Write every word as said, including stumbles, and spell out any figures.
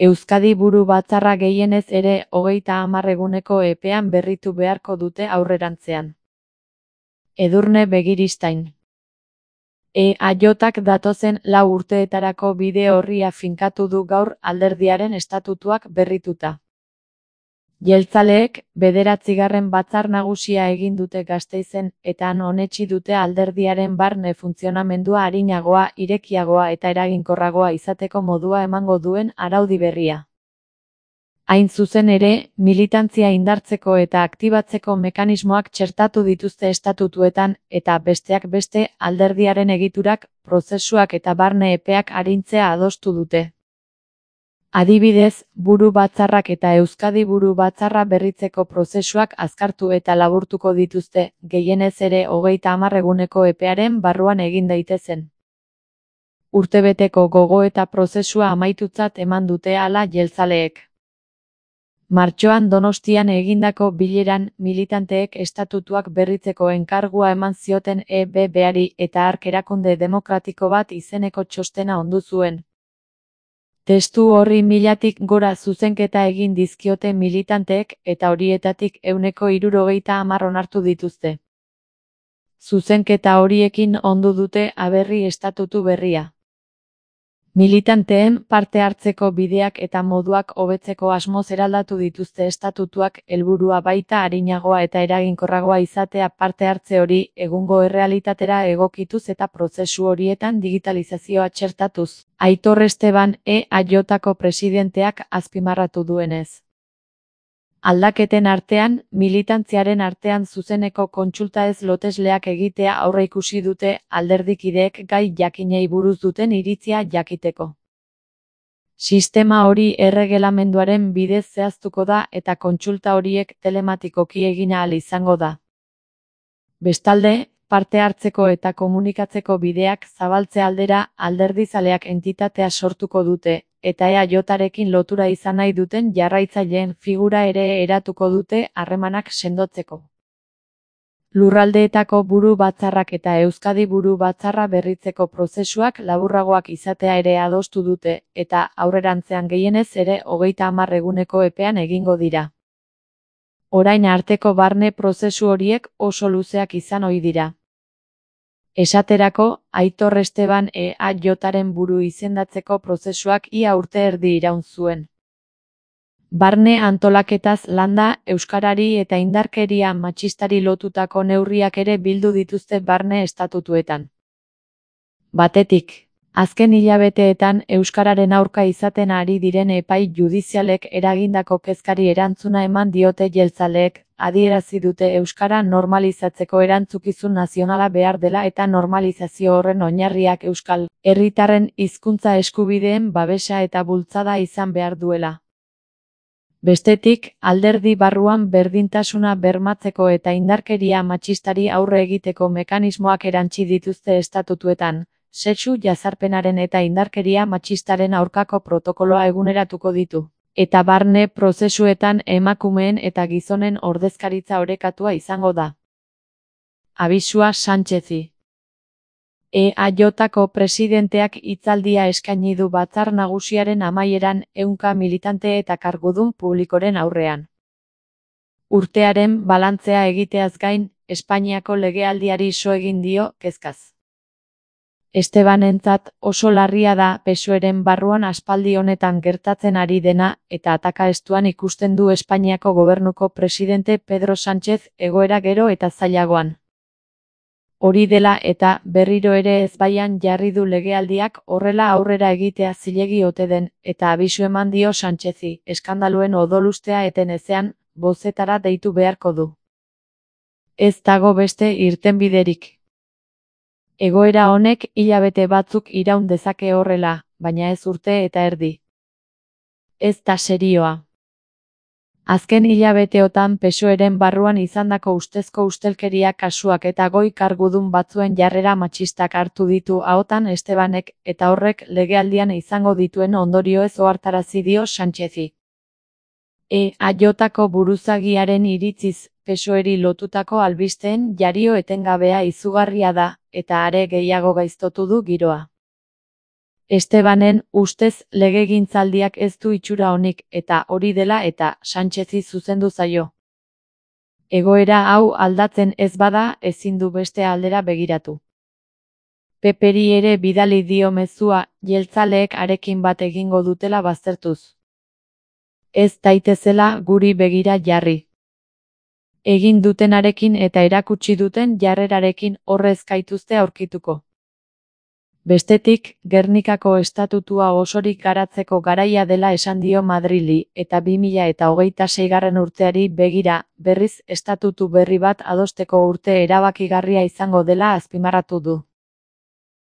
Euskadi Buru Batzarra gehienez ere hogeita hamar eguneko epean berritu beharko dute aurrerantzean. Edurne Begiristain. E A J-ak datozen lau urteetarako bide orria finkatu du gaur alderdiaren estatutuak berrituta. Jeltzaleek bederatzigarren batzar nagusia egin dute Gasteizen eta han onetsi dute alderdiaren barne funtzionamendua arinagoa, irekiagoa eta eraginkorragoa izateko modua emango duen araudi berria. Hain zuzen ere, militantzia indartzeko eta aktibatzeko mekanismoak txertatu dituzte estatutuetan eta besteak beste alderdiaren egiturak, prozesuak eta barne epeak arintzea adostu dute. Adibidez, Buru Batzarrak eta Euskadi Buru Batzarra berritzeko prozesuak azkartu eta laburtuko dituzte, gehienez ere hogeita hamar eguneko epearen barruan egin daitezen. Urtebeteko gogoeta prozesua amaitutzat eman dute hala jeltzaleek. Martxoan Donostian egindako bileran militanteek estatutuak berritzeko enkargua eman zioten E B B-ari eta hark erakunde demokratiko bat izeneko txostena ondu zuen. Testu horri milatik gora zuzenketa egin dizkiote militanteek eta horietatik ehuneko hirurogeita hamar onartu dituzte. Zuzenketa horiekin ondu dute aberri estatutu berria. Militanteen parte hartzeko bideak eta moduak hobetzeko asmoz eraldatu dituzte estatutuak, helburua baita arinagoa eta eraginkorragoa izatea parte hartze hori egungo errealitatera egokituz eta prozesu horietan digitalizazioa txertatuz. Aitor Esteban E A J-ko presidenteak azpimarratu duenez. Aldaketen artean, militantziaren artean zuzeneko kontsulta ez lotesleak egitea aurreikusi dute alderdikideek gai jakinei buruz duten iritzia jakiteko. Sistema hori erregelamenduaren bidez zehaztuko da eta kontsulta horiek telematikoki egin ahal izango da. Bestalde, parte hartzeko eta komunikatzeko bideak zabaltze aldera alderdizaleak entitatea sortuko dute, eta E A J-arekin lotura izan nahi duten jarraitzaileen figura ere eratuko dute harremanak sendotzeko. Lurraldeetako Buru Batzarrak eta Euskadi Buru Batzarra berritzeko prozesuak laburragoak izatea ere adostu dute, eta aurrerantzean gehienez ere hogeita hamar eguneko epean egingo dira. Orain arteko barne prozesu horiek oso luzeak izan ohi dira. Esaterako, Aitor Esteban E A J-aren buru izendatzeko prozesuak ia urte erdi iraun zuen. Barne antolaketaz landa, euskarari eta indarkeria matxistari lotutako neurriak ere bildu dituzte barne estatutuetan. Batetik, azken hilabeteetan euskararen aurka izaten ari diren epai judizialek eragindako kezkari erantzuna eman diote jeltzaleek, adierazi dute euskara normalizatzeko erantzukizun nazionala behar dela eta normalizazio horren oinarriak euskal herritarren hizkuntza eskubideen babesa eta bultzada izan behar duela. Bestetik, alderdi barruan berdintasuna bermatzeko eta indarkeria matxistari aurre egiteko mekanismoak erantsi dituzte estatutuetan, sexu jazarpenaren eta indarkeria matxistaren aurkako protokoloa eguneratuko ditu. Eta barne prozesuetan emakumeen eta gizonen ordezkaritza orekatua izango da. Abisua Sánchezi. E A J-ko presidenteak hitzaldia eskaini du batzar nagusiaren amaieran ehunka militante eta kargudun publikoren aurrean. Urtearen balantzea egiteaz gain, Espainiako legealdiari so egin dio kezkaz. Estebanentzat oso larria da P S O E-ren barruan aspaldi honetan gertatzen ari dena eta atakaestuan ikusten du Espainiako gobernuko presidente Pedro Sánchez egoera gero eta zailagoan. Hori dela eta berriro ere ezbaian jarri du legealdiak horrela aurrera egitea zilegi ote den eta abisu eman dio Sánchezi, eskandaluen odolustea eten ezean, bozetara deitu beharko du. Ez dago beste irtenbiderik. Egoera honek hilabete batzuk iraun dezake horrela, baina ez urte eta erdi. Ez da serioa. Azken hilabeteotan P S O E-ren barruan izandako ustezko ustelkeria kasuak eta goi kargudun batzuen jarrera matxistak hartu ditu ahotan Estebanek eta horrek legealdian izango dituen ondorioez ohartarazi dio Sánchezi. E A J-ko buruzagiaren iritziz, P S O E-ri lotutako albisteen jario etengabea izugarria da, eta are gehiago gaiztotu du giroa. Estebanen ustez legegintzaldiak ez du itxura onik eta hori dela eta Sánchezi zuzendu zaio. Egoera hau aldatzen ez bada ezin du beste aldera begiratu. Peperi ere bidali dio mezua jeltzaleek harekin bat egingo dutela baztertuz. Ez daitezela guri begira jarri. Egin dutenarekin eta erakutsi duten jarrerarekin horrez gaituzte aurkituko. Bestetik, Gernikako estatutua osorik garatzeko garaia dela esan dio Madrili eta bi mila eta hogeita seigarren urteari begira, berriz estatutu berri bat adosteko urte erabakigarria izango dela azpimarratu du.